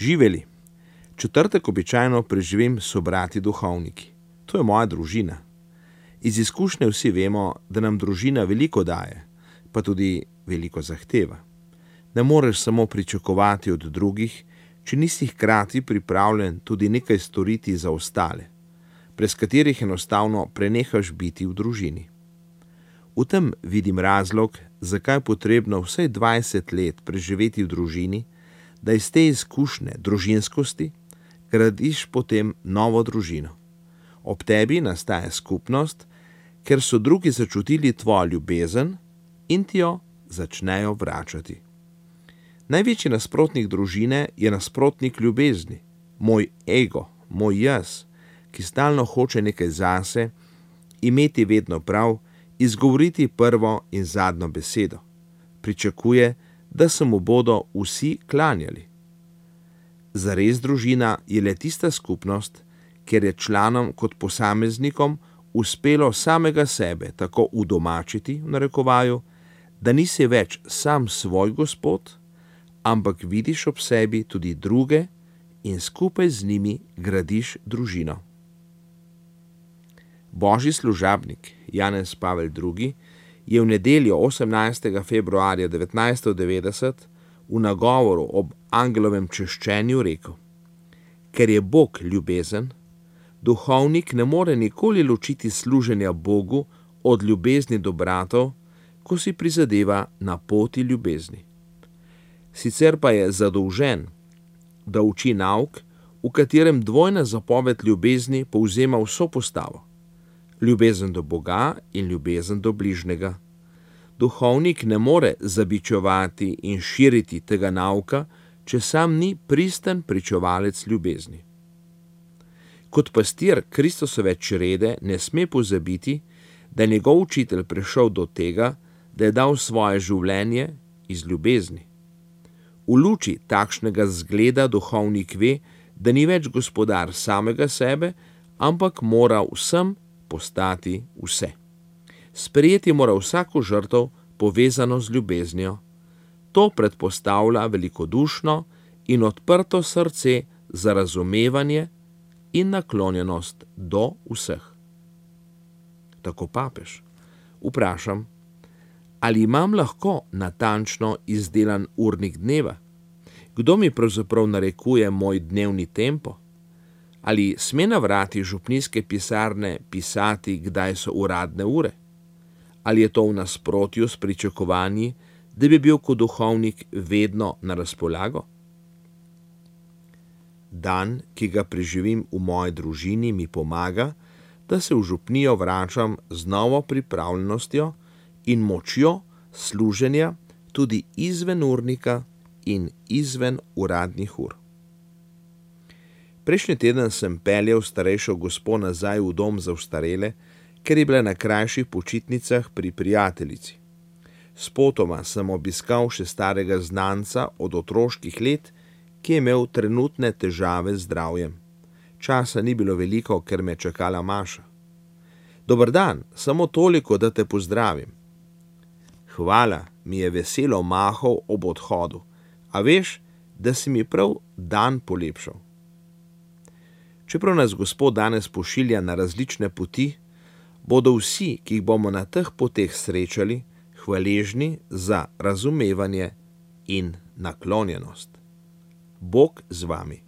Živeli. Četrtek običajno preživim s sobrati duhovniki. To je moja družina. Iz izkušnje vsi vemo, da nam družina veliko daje, pa tudi veliko zahteva. Ne moreš samo pričakovati od drugih, če nisi hkrati pripravljen tudi nekaj storiti za ostale, brez katerih enostavno prenehaš biti v družini. V tem vidim razlog, zakaj je potrebno vsaj 20 let preživeti v družini, da iz te izkušnje družinskosti gradiš potem novo družino. Ob tebi nastaja skupnost, ker so drugi začutili tvojo ljubezen in ti jo začnejo vračati. Največji nasprotnik družine je nasprotnik ljubezni, moj ego, moj jaz, ki stalno hoče nekaj zase, imeti vedno prav, izgovoriti prvo in zadnjo besedo. Pričakuje, da se mu bodo vsi klanjali. Zares družina je le tista skupnost, kjer je članom kot posameznikom uspelo samega sebe tako udomačiti, v narekovaju, da nisi več sam svoj gospod, ampak vidiš ob sebi tudi druge in skupaj z njimi gradiš družino. Božji služabnik Janez Pavel II. Je v nedeljo 18. februarja 1990 v nagovoru ob angelovem češčenju rekel: Ker je Bog ljubezen, duhovnik ne more nikoli ločiti služenja Bogu od ljubezni do bratov, ko si prizadeva na poti ljubezni. Sicer pa je zadolžen, da uči nauk, v katerem dvojna zapoved ljubezni povzema vso postavo. Ljubezen do Boga in ljubezen do bližnjega. Duhovnik ne more zabičevati in širiti tega nauka, če sam ni pristen pričevalec ljubezni. Kot pastir Kristusove črede ne sme pozabiti, da je njegov učitelj prišel do tega, da je dal svoje življenje iz ljubezni. V luči takšnega zgleda duhovnik ve, da ni več gospodar samega sebe, ampak mora vsem postati vse. Sprejeti mora vsako žrtev povezano z ljubeznijo. To predpostavlja velikodušno in odprto srce za razumevanje in naklonjenost do vseh. Tako papež. Vprašam, ali imam lahko natančno izdelan urnik dneva? Kdo mi pravzaprav narekuje moj dnevni tempo? Ali sme na vrati župnijske pisarne pisati, kdaj so uradne ure? Ali je to v nasprotju s pričakovanji, da bi bil kot duhovnik vedno na razpolago? Dan, ki ga preživim v moji družini, mi pomaga, da se v župnijo vračam z novo pripravljenostjo in močjo služenja tudi izven urnika in izven uradnih ur. Prejšnji teden sem peljal starejšo gospo nazaj v dom za ostarele, ker je bila na krajših počitnicah pri prijateljici. Spotoma sem obiskal še starega znanca od otroških let, ki je imel trenutne težave z zdravjem. Časa ni bilo veliko, ker me je čakala Maša. Dober dan, samo toliko, da te pozdravim. Hvala, mi je veselo mahal ob odhodu, a veš, da si mi prav dan polepšal. Čeprav nas Gospod danes pošilja na različne poti, bodo vsi, ki jih bomo na teh poteh srečali, hvaležni za razumevanje in naklonjenost. Bog z vami.